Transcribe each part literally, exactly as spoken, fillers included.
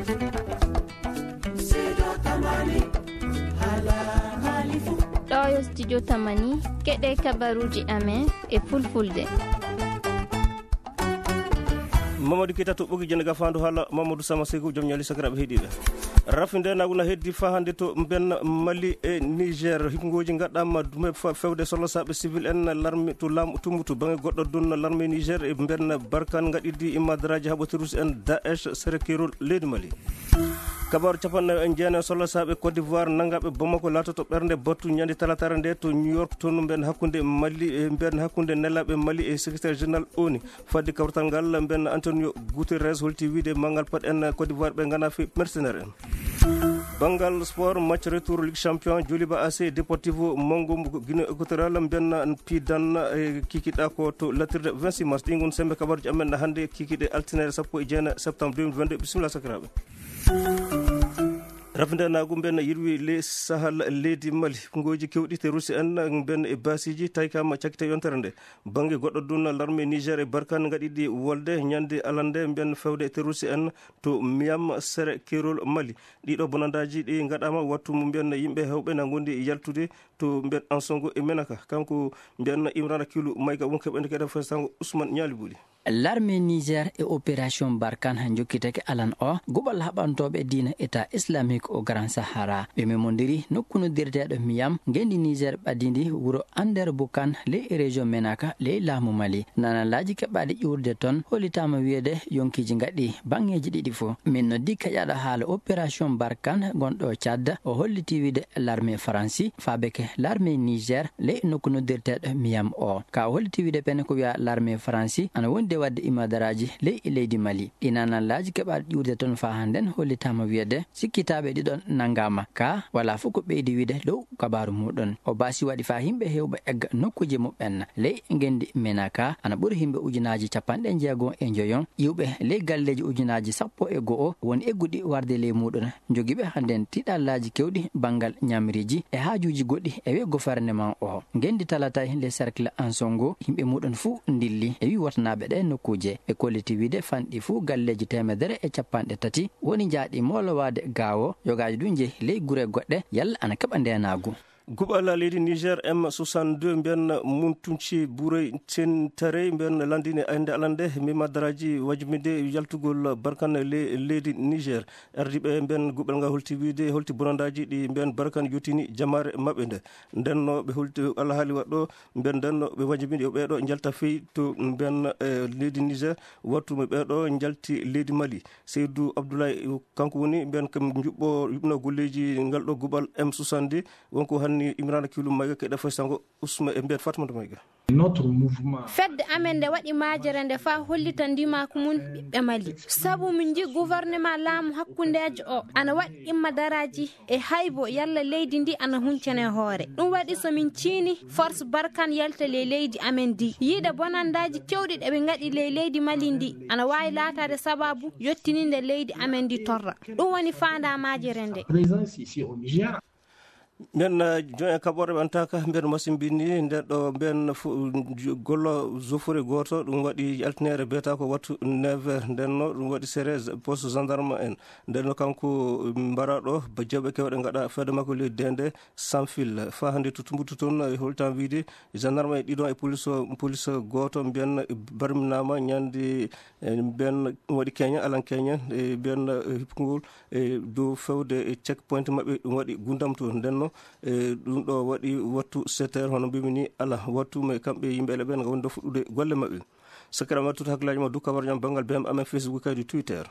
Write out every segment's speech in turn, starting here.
Ɗo yo studio Tamani, keɗe kabaruji amen e fulfulde. Mamadou Keita to ɓogi jene gafandu hala Mamadou Sama Sekou, joom ñaali sakiraɓe heɗiɓe. Rafi ndenagu na heddi fa hande to mben Mali e Niger. Hikngoji gaɗɗama dume fa-, fewde solosaɓe civil en larme to lam tumbutu bange goɗɗo dun larme Niger e mben Barkan gaɗidi imadraji haɓotirus en Daesh sere kerol leydi Mali. Kabaru capanɗe nayo e jeenayo solosaɓe Côte d'Ivoire nangaɓe Bamako latoto ɓernde battu ñande talatare nde to New York, to mben hakkunde Mali e mben hakkunde nelaɓe Mali e secrétaire général ONU. Fadde kawrital ngal, mben Antonio Guterres holti wiide manngal pat en Côte d'Ivoire ɓe ngana fi mercenaire en. Banngal sport, match retour Ligue Champion, Joliba A C Deportivo Mongo Guinée Équatoriale, mben pidan e kikiɗa ko to latirde vingt-six mars. Ɗi ngon sembe kabaruji amen hannde kikiɗe altine sappo e jeenayi septembre deux mille vingt-deux. Bisimilla sakiraaɓe. Rafndenagu mben yirwi le Sahel leydi Mali. Ngoji kewɗi te Russie en mben e basiji taykama cakite yontere nde. Bannge goɗɗo dun larme Niger e Barkan ngaɗiɗi wolde ñande alande mben fewde terroriste en to Miyam sere kerol Mali. Ɗiɗo bonandaji ɗi ngaɗama wattu mu mben yimɓe hewɓe na gondi yaltude to mben Ansongo e Menaka. Kanko mben Imrana Kilu Mayga won keɓende keɗa fo sango Ousmane Ñaali Buli. Larme Niger e opération Barkan jokkitake alan o guɓal haɓantoɓe diina État Islamique au Grand Sahara. Ɓe memodiri nokku noddirteɗo Miyam, ngendi Niger ɓadidi wuro Ander Bukan, ley région Menaka, ley laamu Mali. Nanalaji keɓaɗi ƴurde ton hollitama wiyede yonkiji ngaɗi bangeji ɗiɗi fo. Min noddi keƴaɗo haala opération Barkan gonɗo Tchad, o holliti wiide larme Faransi fabeke larme Niger ley nokku noddirteɗo Miyam o. Ka o holliti wiide pene ko wiya larme Faransi ana wondi e wadde imadaraji ley leydi Mali. Ɗi nanalaji keɓaɗi ƴurde ton fa handen hollitama wiyede sikkitaɓe ɗiɗon nangama. Ka wala fof ko ɓeydi wiide dow kabaru muɗum. O basi waɗi fa yimɓe hewɓe egga nokkuje muɓɓen ley ngendi Menaka ana ɓuri yimɓe ujunaji capanɗe jeego e njoyon iwɓe ley galleji ujunaji sappo e go'o woni egguɗi warde ley muɗum. Jogiiɓe handen tiɗallaji kewɗi bangal ñamriji e hajuji goɗɗi e wi gouvernement o. Ngendi talatay le cercle Ansongo yimɓe muɗum fuu ndilli e wi wotanaɓe ɗe nokkuje. Ɓe kolliti wiide fanɗi fuu galleji temedere e capanɗe tati woni jaaɗi molowade gawo, yogaji ɗum jeehi ley gure goɗɗe yalla ana keɓa ndenagu. Guɓala leydi Niger M soixante-deux mbiyan Muntunci Burey Tintarey mbiyan landini aynde alande mima daraji wajumide yaltugol Barkan le-, leydi Niger. Ardiɓe mbiyan guɓal ngal holti wiide holti bonandaji ɗi mbiyan Barkan yotini jamaare maɓɓe nde. Ndenno ɓe holti alhaali waɗɗo mbiyan ndenno ɓe wajumide yo ɓeeɗo njalta fey to mbiyan, eh, leydi Niger wattu mo ɓeeɗo njalti leydi Mali. Seydou Abdoulaye, kanko woni mbiyan kam juɓɓo, juɓɓino golleji ngal ɗo guɓal M soixante-deux. Wonko hanni Imrana Kilu Mayga keɗa fay sango Usma e mbiyat Fatmata Mayga. Notre mouvement. Fedde amen nde waɗi majere nde fa hollita ndimaku mum ɓiɓɓe Mali. Sabu min nji gouvernement laamu hakkundejo o ana waɗi imma daraji e haybo yalla leydi ndi ana huncene hoore. Ɗum waɗi so min ciini force Barkan yalta ley leydi amen ndi. Yiide bonandaji kewɗi ɗe ɓe ngaɗi ley leydi Mali ndi ana wawi laatade sababu yottininde leydi amen ndi torra. Ɗum woni fanda majere nde. Présence ici au Niger. Mbiyen, eh, joyen kaɓorɗe ɓe antaka, mbiyen masimbini, nden ɗo mbiyen fo-, ju-, gollo zofure gooto, ɗum waɗi altinere biyata ko wattu neuf heures, nden no ɗum waɗi sere z-, poste gendarme en. Nden no kanko, mm, mbaraɗo, ba jawɓe kewɗe ngaɗa fedde makko leydi dende, sans fil. Fa hannde to Tumbutu toon, e holtan wiide, gendarme e ɗiɗon e police o, police gooto mbiyen barminama ñande, e mbiyen waɗi keña, alan keña, e mbiyen, eh, hippugol e dow fewde e checkpoint maɓɓe, ɗum waɗi gundam to. Nden no, e ɗum ɗo waɗi wattu sept heures, hono mbimi ni, ala wattu, mais kamɓe yimɓe ele ɓen ngam wonde fuɗɗude golle maɓɓe. Sakira ma tuta hakkillaji ma du kabar ñam banngal B M amen Facebook kadi Twitter.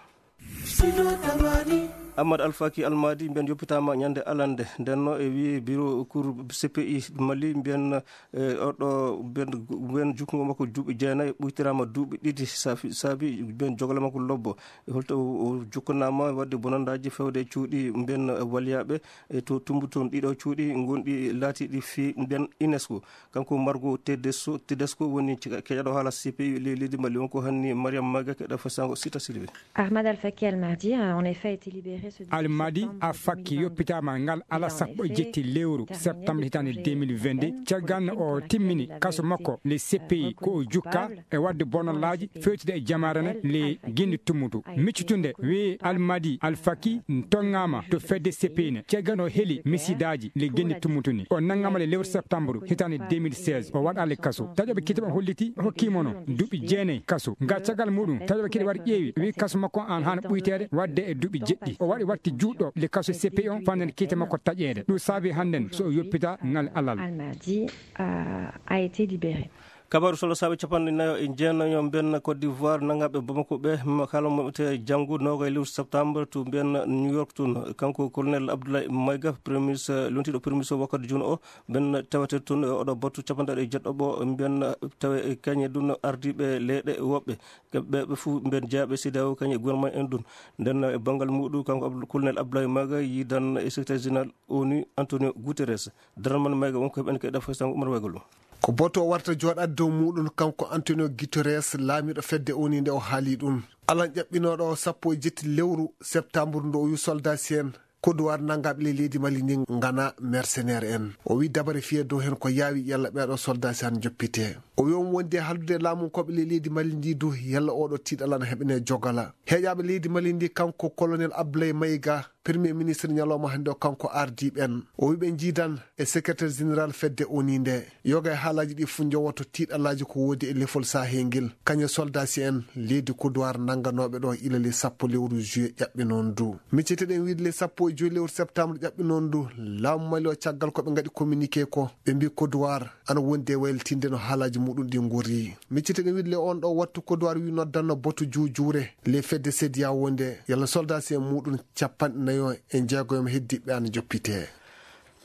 Ammad Alfaki Almadi mbiyen yoppitama ñande alande. Nden no e wiye bureau cour C P I Mali mbiyen, e oɗo mbiyen, mbiyen jukkungo makko duuɓi jeenayi ɓuytirama duuɓi ɗiɗi saafi-, saabi mbiyen jogale makko lobbo. E holto o, o jokkanama wadde bonandaji fewde e cuuɗi mbiyen waliyaɓe e to Tumbutu toon ɗiɗo cuuɗi gonɗi laatiɗi fi mbiyen UNESCO. Kanko Margo Tedesco, Tedesco woni ke-, keƴaɗo haala C P I le-, leydi Mali on ko hanni Mariam Maga keɗa fasango Sita Silibe. Ahmad Al-Faki Al-Mahdi a en effet été libéré. Almadi Afaki yoppitaama ngal ala sappo e jetti lewru septembre hitaande deux mille vingt-deux, caggal no o timmini kaso makko le C P I ko o jukka e waɗde bonolaaji fewtude e jamaare ne le genndi tummutu. Miccitunde wi Almadi Alfaki tongaama to fedde C P I ne, caggal o heli misidaaji le genndi tummutu ni. O nangama le lewru septembre hitaande deux mille seize, o waɗa le kaso. Taƴoɓe kiite ɓe holliti hokkimo no duuɓi jeenayi kaso. Nga caggal muɗum, taƴoɓe kiite waɗi ƴeewi, wi kaso makko an hana ɓuyteede waɗde e duuɓi jeɗɗi. O waɗi watti juuɗo le kaso C P I on fanden kiite makko taƴeede. Ɗum saabi hannden so o yoppita ngal alal. Almadi, euh, a été libéré. Kabaru solo saabe capanɗe nayo e jeenayo mbiyen Côte d'Ivoire, nangaaɓe Bamako ɓe, ma kala mo ɓe janngu noogay lewru septembre to mbiyen New York tun. Kanko Colonel Abdoulaye Maïga, Premier Ministre, lontiiɗo Premier Ministre wakkati jooni o, mbiyen tawete tun e oɗo battu capanɗe e jeɗɗo ɓo, mbiyen tawe e kañe dun ardiiɓe leyɗe woɓɓe. Ɓe, ɓe fof mbiyen jeyaaɓe C E D E A O kañe e gouvernement en dun. Nden e banngal muɗum, kanko Abdou-, Colonel Abdoulaye Maïga yidan e secrétaire général ONU Antonio Guterres. Daral man Maïga wonko heɓen kay ɗafa sango Umar Waygol ɗum. Ko boto o warta jooɗaade dow muɗum kanko Antonio Guterres, laamiiɗo fedde ONU nde o haali ɗum. Alan ƴaɓɓinooɗo o sappo e jetti lewru septembre ndu o wi soldat si en Kodowar nanngaaɓe ley leydi Mali ndi ngana mercenaire en. O wi dabare fiye dow hen ko yaawi yalla ɓeeɗo soldat si han joppite. O wi on wondi e haldude laamunkooɓe ley leydi Mali ndi du yalla oɗo tiiɗal ana heɓene jogala. Heeƴaaɓe leydi Mali ndi kanko Colonel Abdoulaye Maïga, Premier Ministre ñalawma hannde o kanko ardiiɓe en. O wi ɓe njiidan e Secrétaire Général fedde ONU nde. Yoga e haalaaji ɗi fof njowoto tiiɗalaaji ko woodi e lefol Sahel ngel. Kañe soldat si en leydi Kodowar nannganooɓe ɗo ila le sappo lewru juillet ƴaɓɓe noon du. Micceteɗen wiide le sappo e joyi lewru septembre ƴaɓɓe noon du. Laamu Mali o caggal ko ɓe ngaɗi communiqué ko ɓe mbi Kodowar ana wondi e waylitinde no haalaaji muɗum ɗi ngori. Micceteɗen wiide le on ɗo wattu Kodowar wi noddanno boto juujuure le fedde C E D E A O nde. Yalla soldat si en muɗum capanɗe nayo e jeegoyam heddiɓe ana joppite.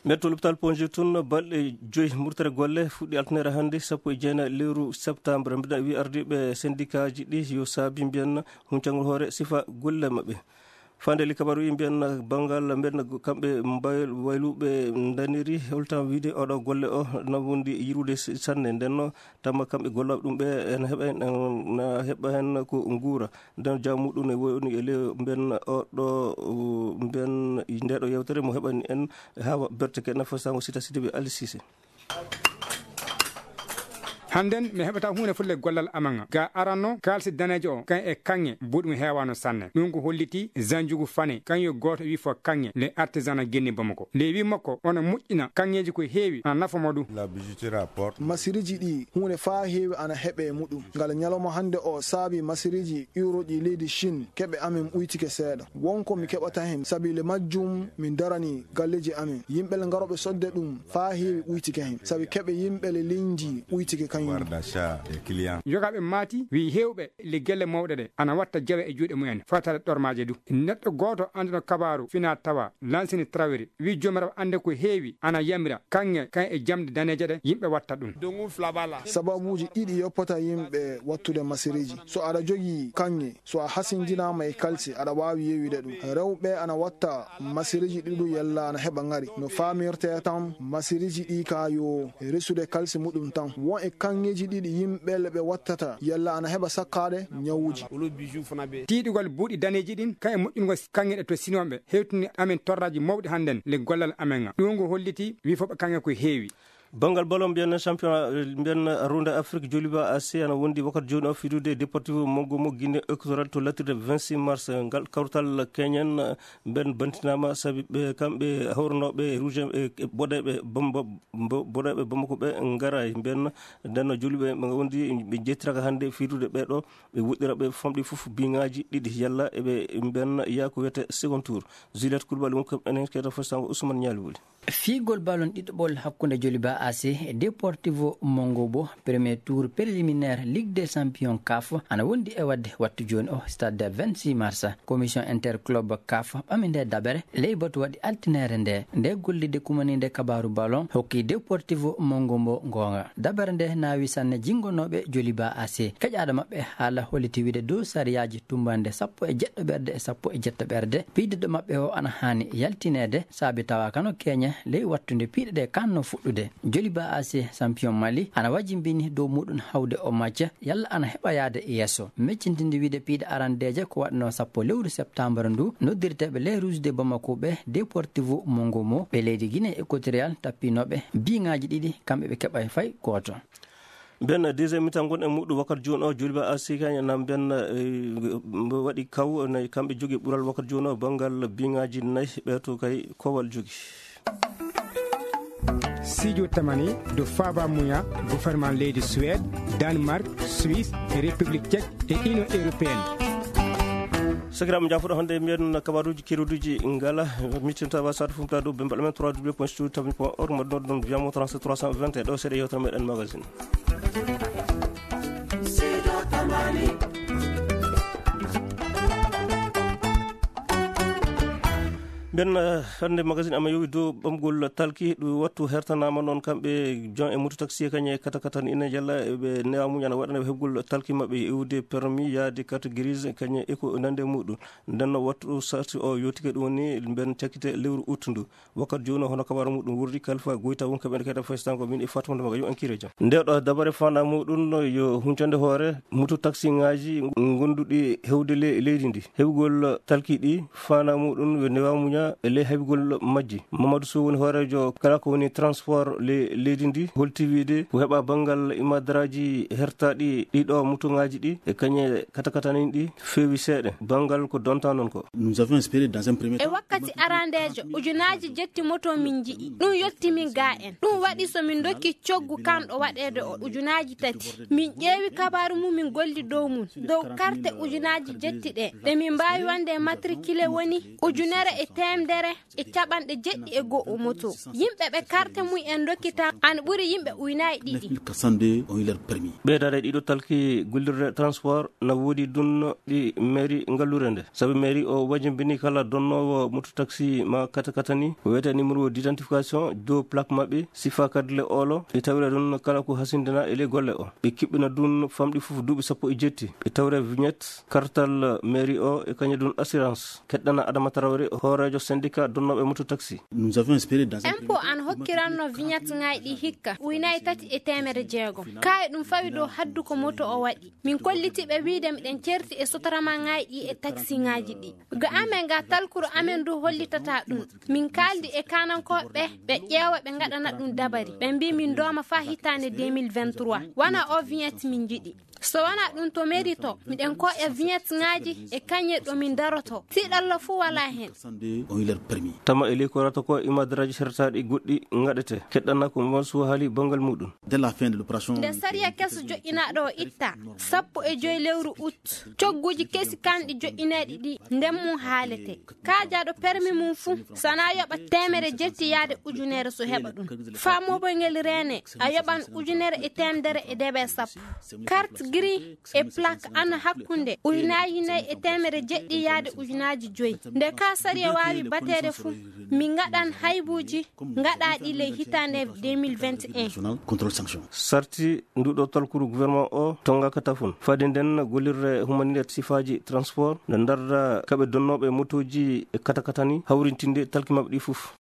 Metto l'hôpital Ponji tun balɗe joyi murtere golle fuɗɗi altinere hannde sappo e jeenayi lewru septembre. Mbiɗa wi ardiiɓe syndicat ji ɗi yo saabi mbiyen huncangol hoore sifa golle maɓɓe. Fande li kabaru yi mbiyen banngal mbiyen kamɓe mbay-, wayluɓe ndaniri holtan wiide oɗo golle o na wondi yirude s-, sanne. Ndenno tamma kamɓe gollooɓe ɗum ɓe en heɓa hen, en na heɓa hen ko nguura. Nden jaamu ɗum ne woni e le mbiyen oɗo, uh, mbiyen ndeɗo yewtere mo heɓani en hawa berteke nafa sango sita sita ɓe Ali Cissé. Hannden mi heɓata huunde fulle gollal amen ga. Ga aranno kaalisi daneejo o kan e kaŋŋe buuɗum heewaano sanne. Ɗum ko holliti Zanjugu Fane, kan yo gooto wi fo kaŋŋe le artisanat genni Bamako. Le wi makko ona moƴƴina kaŋŋeeji ko heewi ana nafa mo ɗum. La bijouterie apporte. Masiriji ɗi huunde faa heewi ana heɓe e muɗum. Ngal ñalawma hannde o saabi masiriji iwroɗi leydi Chine keɓe amen ɓuytike seeɗa. Wonko mi keɓata hen, sabile majjum min darani galleji amen. Yimɓe le ngarooɓe sodde ɗum faa heewi ɓuytike hen, sabi keɓe yimɓe le liñji ɓuytike kañum. Pouvoir d'achat des clients. Yogaaɓe maati wi heewɓe le gelle mawɗe ɗe ana watta jawe e juuɗe mumen, fataade ɗormaaje du. Neɗɗo gooto annduɗo kabaaru fina tawa Lansini Traoré wi joomiraaɓe annde ko heewi ana yamira kaŋŋe kan e jamɗe daneeje ɗe yimɓe watta ɗum. Sababuuji ɗiɗi yoppata yimɓe wattude masiriji. So aɗa jogii kaŋŋe, so a hasindinaama e kalsi, aɗa waawi yeeyude ɗum. Rewɓe ana watta masiriji ɗiɗu yalla ana heɓa ŋari. No faamirtee tan, masiriji ɗi ka yo resude kalsi muɗum tan. Won e kaŋŋeeji ɗiɗi yimɓe le ɓe wattata yalla ana heɓa sakkaade ñawuuji. Tiiɗugol buuɗi daneeji ɗin, kan e moƴƴungol kaŋŋe ɗe to Sinooɓe, hewtini amen torraaji mawɗi hannden le gollal amen ŋa. Ɗum ngo holliti wi fof ɓe kaŋŋe ko heewi. Banngal ballon mbiyen championnat, eh, mbiyen Ronde Afrique, Joliba A C ana wondi wakkati jooni o fidude Deportivo Mongomo Guinée Équatoriale to lattirde vingt-six mars. Ngal kawtal keñen mbiyen bantinaama sabi ɓe kamɓe hawrnooɓe rouge e boɗeeɓe Bambo-, bo-, boɗeeɓe Bamako ɓe ngaray. Mbiyen nden Joliba ɓe wondi ɓe jettiraka hannde fidude ɓe ɗo ɓe woɗɗira ɓe famɗi fof biŋaaji ɗiɗi yalla eɓe mbiyen yaa ko wiyete second tour. Juliette Coulibaly wonko enen keɗo fo sango Ousmane Ñaali Wuli. Fiigol ballon ɗiɗaɓol hakkunde Joliba A C e Deportivo Mongobo, premier tour préliminaire Ligue des Champions CAF, ana wondi e waɗde wattu jooni o stade vingt-six mars. Commission interclub CAF ɓami nde dabere ley batu waɗi altinere nde. Nde gollide kumaninde kabaaru ballon hokki Deportivo Mongobo goonga. Dabere nde naawi sanne jingonooɓe Joliba A C. Keƴaaɗo maɓɓe haala holliti wiide dow sariyaaji tumbande sappo e jeɗɗo ɓerɗe e sappo e jeɗɗo ɓerɗe, piidiɗo maɓɓe o ana haani yaltineede, saabi tawa kano keñe ley wattunde piiɗe ɗe kanno fuɗɗude. Joliba A C champion Mali ana wajimbini dow muɗum hawde o macca yalla ana heɓa yaade yeeso. Meccintinde wiide piiɗe arandeeje ko waɗno sappo lewru septembre ndu, noddirteeɓe les Rouges de Bamako ɓe Deportivo Mongomo ɓe leydi Guinée Équatoriale tappinooɓe biŋaaji ɗiɗi, kamɓe ɓe keɓay fay gooto. Ɓen deuxième mi-temps ngon e muɗum wakkati jooni o, Joliba A C kañum en ɓen, eh, mbo waɗi kaw, nayi kamɓe jogi ɓural wakkati jooni o, banngal biŋaaji nayi, ɓe to kay kowal jogi. Sijo tamani do faaba muya gouvernement leydi Suède, Danemark, Suisse, République Tchèque e Union Européenne. Sakiraaɓe, jaafuɗo hannde mbiyen kabaruuji keruuduji ngala, mitinta wa satu fumta do bembal men trois w point studio tamani point org, mbaɗ noon ɗum via mo trente-sept trois cent vingt et un ɗo seeɗa yewtere meɗen magazine. Mbiyen, eh, hannde magazine ama yowi dow ɓamgol talki, ɗum wattu hertanaama noon kamɓe jon e moto taxi kañe kata kata ni ina jalla ɓe newa muñana waɗana ɓe heɓgol talki maɓɓe iwde permis yaade carte grise kañe e ko nande muɗum. Nden no wattu sarti o yotike ɗum woni mben cakkite lewru août ndu. Wakkati jooni hono kabaru muɗum wurdi Kalfa Goyta won kaɓe kadi faystango min e Fatma Ndamaga yo ankire jam. Nde ɗo dabare fana muɗum no yo huncande hoore mutu taxi ngaji gonduɗi hewde le leydi ndi. Heɓugol talki ɗi fana muɗum yo newa muña e le heɓugol majji. Mamadou Sow woni hoorejo kala ko woni transport le leydi ndi holti wiide ko heɓa banngal imadraji hertaɗi ɗiɗo mutu ngaji ɗi e kañe kata kata ni ɗi feewi seeɗa. Banngal ko donta noon ko. Nous avions espéré dans un premier E temps wakkati arandeejo, ujunaaji jetti moto min nji'i. Ɗum yotti min ga en. Ɗum waɗi so min ndokki coggu kanɗo waɗeede o ujunaaji tati. Min ƴeewi kabaaru mum, min golli dow mum, dow karte ujunaaji jetti ɗe. Ɗe min mbaawi wonde matricule woni ujunere e teemedere e caɓanɗe jeɗɗi e go'o moto. Yimɓe ɓe karte mum en ndokkita an ɓuri yimɓe uynaaji ɗiɗi. Neuf mille quatre cent deux ont eu leur permis. Ɓeydaade ɗiɗo talki gollirde transport na woodi ɗum ɗi mairie ngallure nde. Sabu mairie o wajimbini kala donnoowo moto taxi ma kata kata ni, ko wiyetee numéro d'identification dow plaque maɓɓe, sifa kadi le olo, ɓe tawira ɗum kala ko hasindina e le golle o. Ɓe kiɓɓina ɗum famɗi fof duuɓi sappo e jetti. Ɓe tawira vignette, kartal mairie o e kañum ɗum assurance. Keɗɗana Adama Traoré, hooreejo syndicat donnooɓe moto taxi. Nous avions espéré dans un Impôt an hokkiranno vignette ngaay ɗi hikka, uynaaji tati e teemedde jeegom. Kaay ɗum fawi dow haddu ko moto o waɗi. Min kolliti ɓe wiide miɗen certi e sotorama ngaay ɗi e taxi ngaji ɗi. Ga amen ga talkuru amen du hollitata ɗum. Min kaldi e kanankooɓe ɓe ƴeewa ɓe ngaɗana ɗum dabari. Ɓe mbi min dooma fa hitaande deux mille vingt-trois. Wana o vignette min njiɗi. So wana ɗum to mairie to, miɗen koƴa vignette ngaji e kañe ɗo min daroto. Tiiɗalla fu wala hen. Tama e ley ko rata ko imadraji sertaɗi goɗɗi ngaɗete. Keɗɗana ko Mansour haali banngal muɗum. Dès la fin de l'opération. Nde sariya keso joƴƴinaaɗo o itta, sappo e joy lewru août, cogguji kesi kanɗi joƴƴineeɗi ɗi nden mum haalete. Kaajaaɗo permis mum fuu, sana yoɓa teemere jetti yaade ujunere so heɓa ɗum. Faa moɓoy ngel reene, a yoɓan ujunere e teemedere e debe sappo. Carte gris e plaque ana hakkunde ujunaaji nayi e teemere jeɗɗi yaade ujunaaji joyi. Nde ka sariya waawi bateede fuu, min ngaɗan haybuuji ngaɗaaɗi ley hitaande deux mille vingt et un. National contrôle sanction. Sarti nduɗo talkuru gouvernement o tongaka tafun. Fadi nden gollirde humanitaire sifaaji transport nde darda kaɓe donnooɓe motooji e katakatani hawrintinde talki maɓɓe ɗi fof.